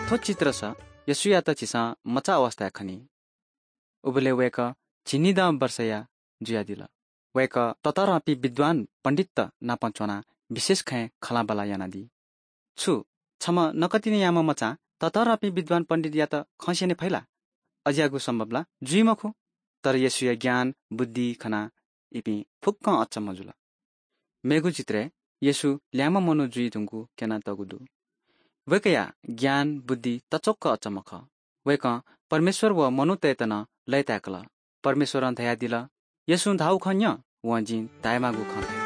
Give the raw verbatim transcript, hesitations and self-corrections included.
थ्व चित्रस येशूयात झीसं मचा अवस्थाय् खनी। उबलय् वय्‌कः झिंनिदँ वर्षया जुयादिल। वय्‌कः ततःधंपिं विद्वान पण्डितत नाप च्वनाः विशेष खँय् खँल्हाबल्हा यानादी। छु छम्ह नकतिनि याःम्ह मचां ततःधंपिं विद्वान पण्डितयात खँ स्यने फइ ला? अज्याःगु सम्भव ला? जुइ मखु। तर येशूया ज्ञान, बुद्धि खनाः इपिं फुक्कं अचम्म जुल। मेगु चित्रय् येशू ल्याय्म्ह मनू जुइ धुंकूगु क्यनातःगु दु। वय्‌कःया ज्ञान, बुद्धि तच्वक्क अचम्म खः। वय्‌कलं परमेश्वर व मनूतय्‌त नं लय्‌ताय्‌कल। परमेश्वरं धयादिल, "येशूं धाःगु खँ न्यँ, वं जिं धायेमाःगु खँ।"